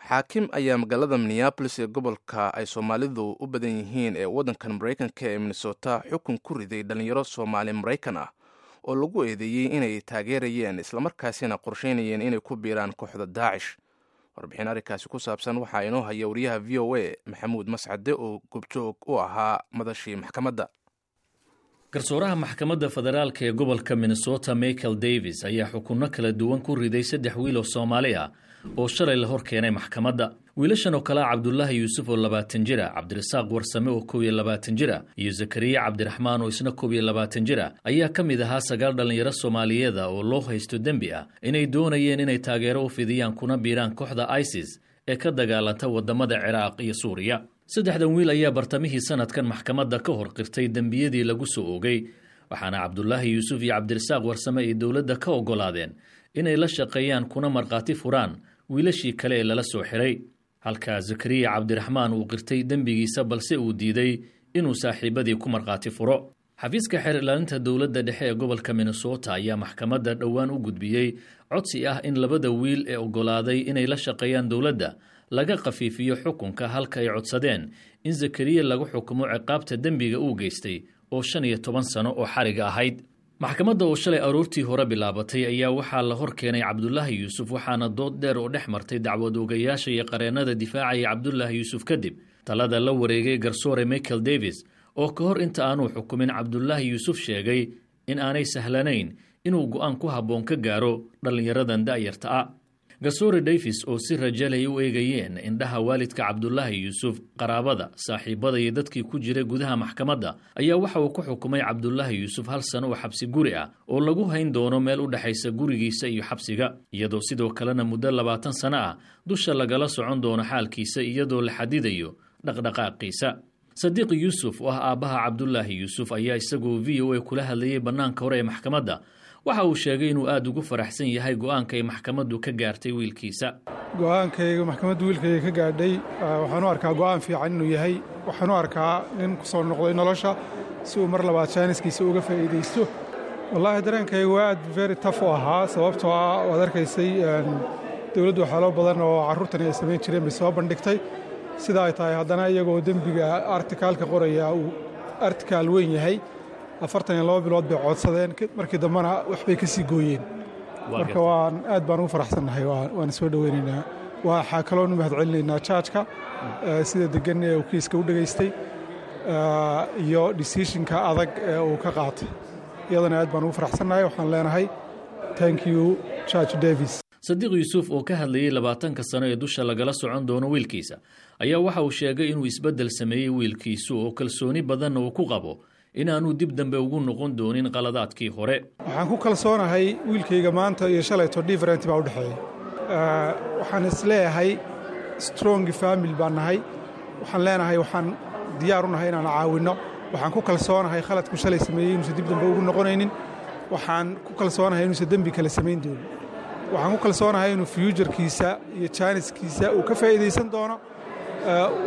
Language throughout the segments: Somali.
Xaakim ayaa magaalada Minneapolis ee gobolka ay Soomaalidu u badan yihiin ee waddankan Maraykanka ee Minnesota xukun ku riday dhallinyaro Soomaali Maraykan ah oo lagu eedeeyey inay taageerayeen islamarkaasina qorsheynayeen inay ku biiraan kooxda Daacish. Warbixin arrinkaasi ku saabsan waxaa inoo haya wariyaha VOA Maxamuud Mascade oo goobjoog u ahaa madashii maxkamadda. Garsooraha maxkamadda federaalka ee gobolka Minnesota Michael Davis ayaa xukunno kala duwan ku riday saddex wiil oo Soomaali ah oo shalay la hor keenay maxkamadda. Wiilashan oo kale ah Cabdulaahi Yuusuf oo 20 jir ah, Cabdirasaaq Warsame oo 21 jir ah iyo Zakariya Cabdiraxmaan oo isna 21 jir ah ayaa ka mid ahaa sagaal dhallinyaro Soomaaliyeeda oo loo haysto dembi ah inay doonayeen inay taageero u fidiyaan kuna biiraan kooxda ISIS ee ka dagaalanta wadamada Ciraaq iyo Suuriya. Saddexdan wiil ayaa bartamihii sanadkan maxkamadda ka hor qirtay dembiyadii lagu soo oogay, waxaana Cabdulaahi Yuusuf iyo Cabdirasaaq Warsame ay dowladda ka oggolaadeen inay la shaqeeyaan kuna markhaati furaan wiilashii kale ee lala soo xiray, halka Zakariya Cabdiraxmaan uu qirtay dembigiisa balse uu diiday inuu saaxiibadii ku markhaati furo. Xafiiska xeer ilaalinta dowladda dhexe ee gobolka Minnesota ayaa maxkamadda dhowaan u gudbiyey codsi ah in labada wiil ee oggolaaday inay la shaqeeyaan dowladda laga khafiifiyo xukunka, halka ay codsadeen in Zakariya lagu xukumo ciqaabta dembiga uu geystay oo 15 sano oo xariga ahayd. Maxkamadda oo shalay aroortii hore bilaabatay ayaa waxaa la hor keenay Cabdulaahi Yuusuf, waxaana dood dheer oo dhex martay dacwad oogayaasha iyo qareennada difaacaya Cabdulaahi Yuusuf kadib talada la wareegay garsoore Michael Davis, oo ka hor inta aanuu xukumin Cabdulaahi Yuusuf sheegay in aanay sahlanayn inuu go'aan ku habboon ka gaaro dhallinyaradan da'yarta ah. Garsoore Davis oo si rajalay u eegayeen indhaha waalidka Cabdulaahi Yuusuf, qaraabada, saaxiibada iyo dadkii ku jiray gudaha maxkamadda ayaa waxa uu ku xukumay Cabdulaahi Yuusuf hal sano oo xabsi guri ah oo lagu hayn doono meel u dhexaysa gurigiisa iyo xabsiga, iyadoo sidoo kalena muddo 20 sano ah dusha lagala socon doono xaalkiisa iyadoo la xadidayo dhaqdhaqaaqiisa. Sadiiq Yuusuf oo ah aabbaha Cabdulaahi Yuusuf ayaa isagoo VOA kula hadlayay bannaanka hore ee maxkamadda waxa uu sheegay inuu aada ugu faraxsan yahay go'aanka ay maxkamaddu ka gaartay wiilkiisa. Go'aankayga maxkamaddu wiilkayga ka gaadhay waxaan u arkaa go'aan fiican inuu yahay. Waxaan u arkaa nin ku soo noqday nolosha si uu mar labaad chance-kiisa uga faa'iidaysto. Wallaahi, dareenkayga waa aad very tough u ahaa, sababtoo ah waad arkaysay dowladdu waxyaalo badan oo carruurtani ay samayn jireen bay soo bandhigtay. Sida ay tahay haddana iyagoo dembiga article-ka qoraya uu article weyn yahay, 42 bilood bay codsadeen, markii dambena waxbay ka sii gooyeen. Marka waan aad baan ugu faraxsannahay, waan soo dhoweynaynaa. Waxaa kaloonu mahad celinaynaa judge-ka sida degan ee uu kiiska u dhegaystay iyo decision-ka adag ee uu ka qaatay. Iyadana aad baan ugu faraxsannahay. Waxaan leenahay thank you, Judge Davis. Sadiiq Yuusuf oo ka hadlayey 20-ka sano ee dusha lagala socon doono wiilkiisa ayaa waxa uu sheegay inuu isbeddel sameeyey wiilkiisu oo kalsooni badanna uu ku qabo inaanuu dib dambe ugu noqon doonin qaladaadkii hore. Waxaan ku kalsoonahay wiilkayga maanta iyo shalayto different baa u dhexeeya. Waxaan isleeyahay strong family baan nahay. Waxaan leenahay waxaan diyaar u nahay inaan caawinno. Waxaan ku kalsoonahay khaladku shalay sameeyey inuusan dib dambe ugu noqonaynin. Waxaan ku kalsoonahay inuusan dembi kale samayn doonin. Waxaan ku kalsoonahay inuu future-kiisa iyo chance-kiisa uu ka faa'iidaysan doono,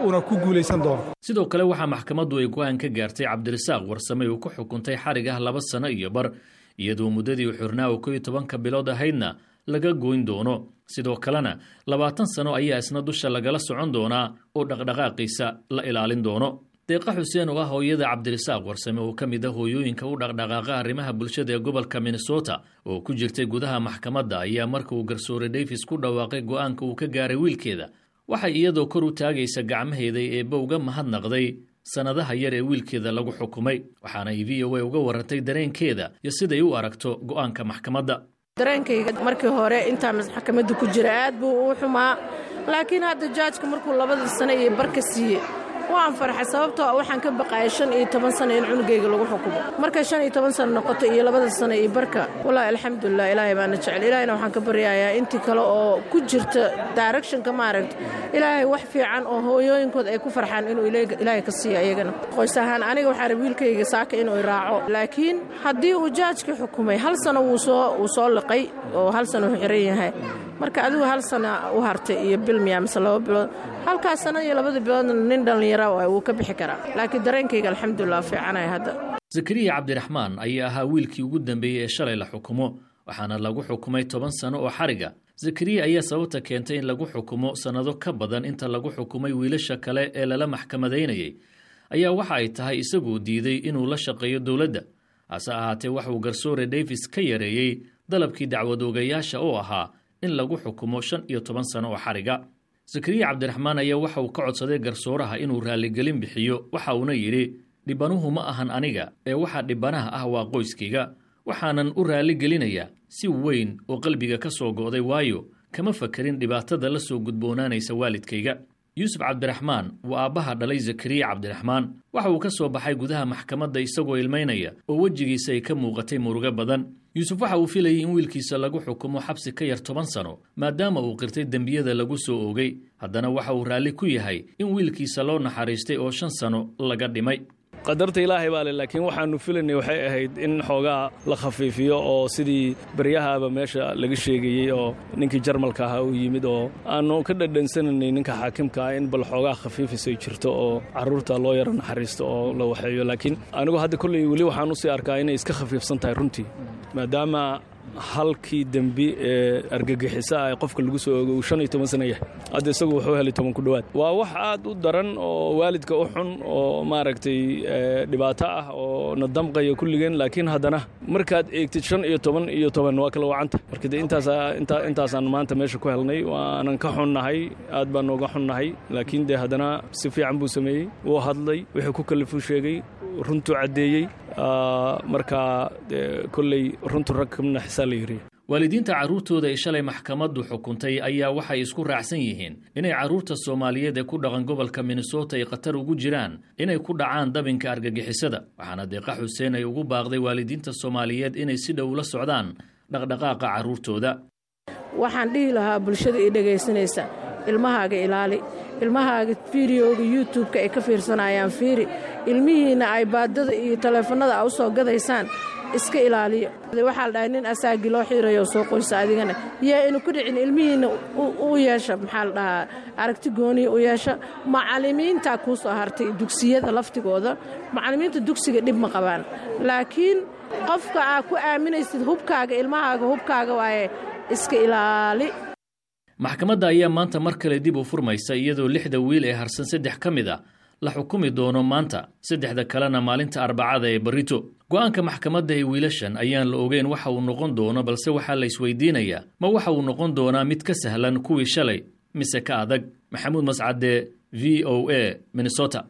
uuna ku guulaysan doono. Sidoo kale waxaa maxkamaddu ay go'aan ka gaartay Cabdirasaaq Warsame uu ku xukuntay xarig ah 2 sano iyo bar, iyadoo muddadii xurnaa oo 11-ka bilood ahaydna laga goyn doono. Sidoo kalena 20 sano ayaa isna dusha lagala socon doonaa oo dhaqdhaqaaqiisa la ilaalin doono. Deeqa Xuseen oo ah hooyada Cabdirasaaq Warsame oo ka mid ah hooyooyinka u dhaqdhaqaaqa arrimaha bulshada ee gobolka Minnesota oo ku jirtay gudaha maxkamadda ayaa marka uu garsoore Davis ku dhawaaqay go'aanka uu ka gaaray wiilkeeda waxay iyadoo kor u taagaysa gacmaheeda eebba uga mahadnaqday sannadaha yar ee wiilkeeda lagu xukumay, waxaana ay VOA uga warantay dareenkeeda iyo siday u aragto go'aanka maxkamadda. Dareenkayga markii hore intaa maxkamadda ku jira aad buu u xumaa, laakiin hadda judge-ka markuu labada sano iyo barka siiyey waan farxay, sababtoo waxaan ka baqaayay 15 sano in cunugayga lagu xukumo. Markay 15 sano noqoto iyo labada sano iyo barka, wallaahi alxamdulilah, Ilaahay baana jecel. Ilaahayna waxaan ka baryayaa intii kale oo ku jirta direction-ka, maaragta, Ilaahay wax fiican oo hooyooyinkood ay ku farxaan inuu Ilaahay ka siiyo ayagana. Qoys ahaan aniga waxaa rab wiilkayga saaka inuu raaco, laakiin haddii uu judge-ka xukumay hal sano wuu soo liqay oo hal sano uu xiran yahay. Marka adigu hal sana u hartay iyo bil miya mise 2 bilood, halkaas sana iyo labada biloodna nin dhallinyara wuu ka bixi karaa. Laakiin dareenkayga alxamdulilah fiicanaya hadda. Zakariya Cabdiraxmaan ayaa ahaa wiilkii ugu dambeeyey ee shalay la xukumo, waxaana lagu xukumay 10 sano oo xariga. Zakariya ayaa sababta keentay in lagu xukumo sannado ka badan inta lagu xukumay wiilasha kale ee lala maxkamadaynayay ayaa waxa ay tahay isaguu diiday inuu la shaqeeyo dowladda. Hase ahaatee, waxauu garsoore Davis ka yareeyey dalabkii dacwad oogayaasha oo ahaa in lagu xukumo 15 sano oo xariga. Zakariya Cabdiraxmaan ayaa waxa uu ka codsaday garsooraha inuu raalligelin bixiyo, waxa uuna yidhi: "Dhibanuhu ma ahan aniga ee waxa dhibanaha ah waa qoyskayga, waxaanan u raalligelinayaa si weyn oo qalbiga ka soo go'day, waayo kama fakerin dhibaatada la soo gudboonaanaysa waalidkayga." Yuusuf Cabdiraxmaan waa aabbaha dhalay Zakariya Cabdiraxmaan. Waxa uu ka soo baxay gudaha maxkamadda isagoo ilmaynaya oo wejigiisa ay ka muuqatay murugo badan. Yuusuf waxa uu filayay in wiilkiisa lagu xukumo xabsi ka yar 10 sano, maadaama uu qirtay dembiyada lagu soo oogay. Haddana waxa uu raalli ku yahay in wiilkiisa loo naxariistay oo 5 sano laga dhimay. Qadarta Ilaahay baa le, laakiin waxaannu filaynay waxay ahayd in xoogaa la khafiifiyo, oo sidii baryahaaba meesha laga sheegayey oo ninkii Jarmalka ahaa uu yimid oo aannu ka dhadhansanaynay ninka xaakimka ah in bal xoogaa khafiifis ay jirto oo carruurta loo yaro naxariisto oo la waxeeyo. Laakiin anigu hadda kolley weli waxaan usii arkaa inay iska khafiifsan tahay runtii, maadaama halkii dembi ee argagixisa ah qofka lagu soo ogo uu 15 sano yahay. Hadda isagu wuxuu helay 10 ku dhowaad. Waa wax aad u daran oo waalidka u xun oo maaragtay dhibaato ah oo na damqaya kulligeen. Laakiin haddana markaad eegtid 15 iyo 10 waa kala wacanta. Marka dee intaasaan maanta meesha ku helnay, waanan ka xunnahay, aad baan nooga xunnahay. Laakiin dee haddana si fiican buu sameeyey, wuu hadlay, wixii ku kalifuu sheegay, runtuu caddeeyey. Marka kolley runtu rag kamna xisaa la yiri. Waalidiinta carruurtooda ay shalay maxkamaddu xukuntay ayaa waxay isku raacsan yihiin inay carruurta Soomaaliyeed ee ku dhaqan gobolka Minnesota ay khatar ugu jiraan inay ku dhacaan dabinka argagixisada. Waxaana Deeqa Xuseen ay ugu baaqday waalidiinta Soomaaliyeed inay si dhow la socdaan dhaqdhaqaaqa carruurtooda. Waxaan dhihi lahaa bulshada ii dhegaysanaysa: ilmahaaga ilaali, ilmahaaga fiidiyooga YouTube-ka ay ka fiirsanayaan fiiri, ilmihiinna ay baadada iyo taleefannada a u soo gadaysaan iska ilaaliya. Waxaa la dhahay nin asaagii loo xiirayo soo qoysa, adigana yaa inu ku dhicin. Ilmihiinna u yeesha, maxaa la dhahaa, aragti gooniya u yeesha. Macallimiintaa kuu soo hartay, dugsiyada laftigooda, macallimiinta dugsiga dhib ma qabaan, laakiin qofka aa ku aaminaysid hubkaaga, ilmahaaga hubkaaga waaye, iska ilaali. Maxkamadda ayaa maanta mar kale dib u furmaysa, iyadoo lixda wiil ee harsan saddex ka mid a la xukumi doono maanta, saddexda kalena maalinta Arbacada ee barito. Go'aanka maxkamadda ee wiilashan ayaan la ogeyn waxa uu noqon doono, balse waxaa la isweydiinayaa: ma waxa uu noqon doonaa mid ka sahlan kuwii shalay mise ka adag? Maxamuud Mascade, VOA, Minnesota.